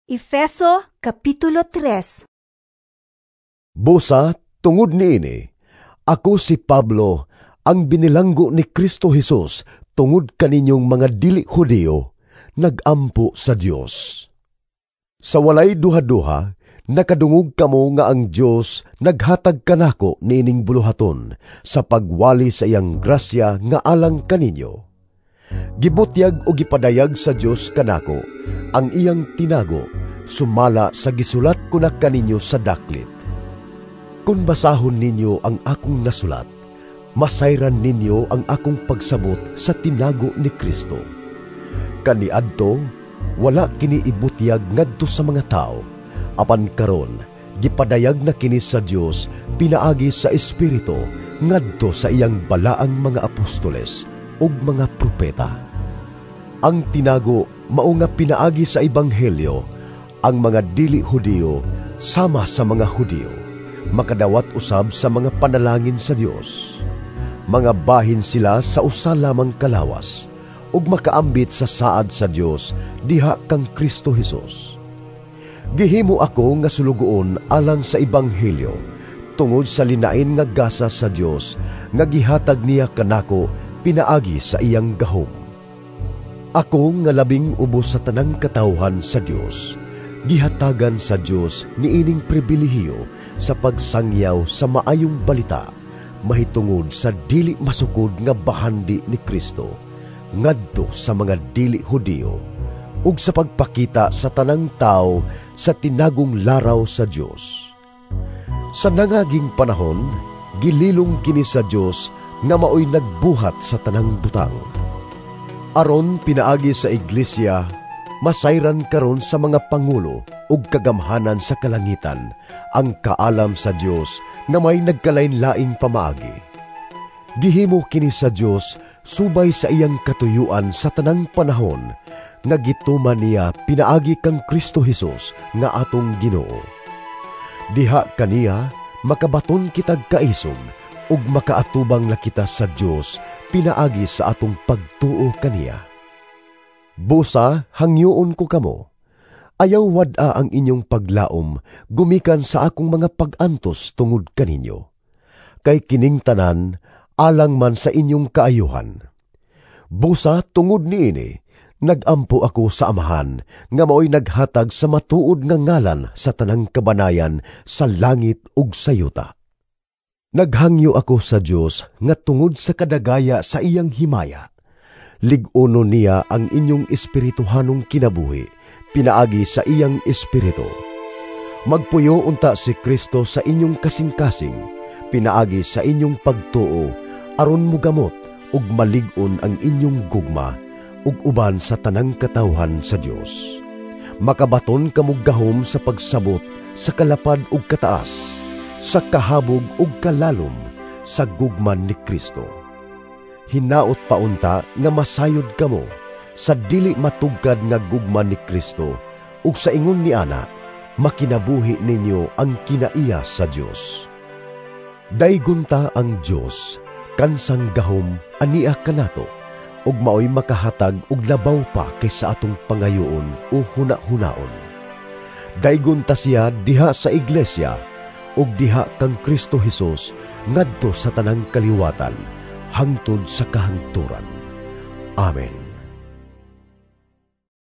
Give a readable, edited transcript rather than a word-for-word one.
Efeso Kapitulo 3. Busa, tungod niini, ako si Pablo, ang binilanggo ni Kristo Hesus tungod kaninyong mga dili Hudiyo, nagampo sa Dios. Sa walay duha-duha, nakadungog kamo nga ang Dios naghatag kanako niining buluhaton sa pagwali sa iyang grasya nga alang kaninyo. Gibutyag o gipadayag sa Dios kanako ang iyang tinago sumala sa gisulat ko na kaninyo sa daklit. Kung basahon ninyo ang akong nasulat, masayran ninyo ang akong pagsabot sa tinago ni Kristo. Kaniadto, wala kini ibutyag ngadto sa mga tao, apan karon gipadayag na kini sa Dios pinaagi sa Espiritu ngadto sa iyang balaang mga apostoles ug mga propeta. Ang tinago mao nga pinaagi sa ebanghelyo ang mga dili Hudiyo sama sa mga Hudiyo makadawat usab sa mga panalangin sa Dios. Mga bahin sila sa usa lamang kalawas ug makaambit sa saad sa Dios diha kang Kristo Hesus. Gihimo ako nga sulugoon alang sa ebanghelyo tungod sa linain nga gasa sa Dios nga gihatag niya kanako pinaagi sa iyang gahom. Ako nga labing ubos sa tanang katawhan sa Dios, gihatagan sa Dios niining pribilehiyo sa pagsangyaw sa maayong balita mahitungod sa dili masukod nga bahandi ni Kristo ngadto sa mga dili Hudiyo ug sa pagpakita sa tanang tawo sa tinagong laraw sa Dios. Sa nangaging panahon, gililong kini sa Dios nga maoy nagbuhat sa tanang butang. Aron pinaagi sa iglesia, masayran karon sa mga pangulo ug kagamhanan sa kalangitan ang kaalam sa Dios nga may nagkalain-laing pamaagi. Gihimo kini sa Dios subay sa iyang katuyuan sa tanang panahon nga gituman niya pinaagi kang Kristo Hesus nga atong Ginoo. Diha kaniya makabaton kitag kaisog ug makaatubang na kita sa Dios pinaagi sa atong pagtuo kaniya. Busa hangyoon ko kamo, ayaw wad-a ang inyong paglaom gumikan sa akong mga pag-antos tungod kaninyo. Kay kining tanan alang man sa inyong kaayuhan. Busa tungod niini, nagampo ako sa Amahan nga maoy naghatag sa matuod nga ngalan sa tanang kabanayan sa langit ug sa yuta. Naghangyo ako sa Dios nga tungod sa kadagaya sa iyang himaya, lig-uno niya ang inyong espirituhanong kinabuhi pinaagi sa iyang espiritu. Magpuyo unta si Kristo sa inyong kasing-kasing pinaagi sa inyong pagtuo aron mugamot ug malig-on ang inyong gugma ug uban sa tanang katawhan sa Dios. Makabaton kamo gahom sa pagsabot sa kalapad ug kataas, sa kahabog ug kalalom sa gugman ni Kristo. Hinaot paunta nga masayod kamo sa dili matugkad nga gugma ni Kristo ug sa ingon ni ana makinabuhi ninyo ang kinaiya sa Dios. Daygon ta ang Dios kansang gahom ania kanato ug maoy makahatag og labaw pa kaysa atong pangayoon o huna-hunaon. Daygon ta siya diha sa iglesia ug diha kang Kristo Hesus ngadto sa tanang kaliwatan hangtod sa kahangturan. Amen.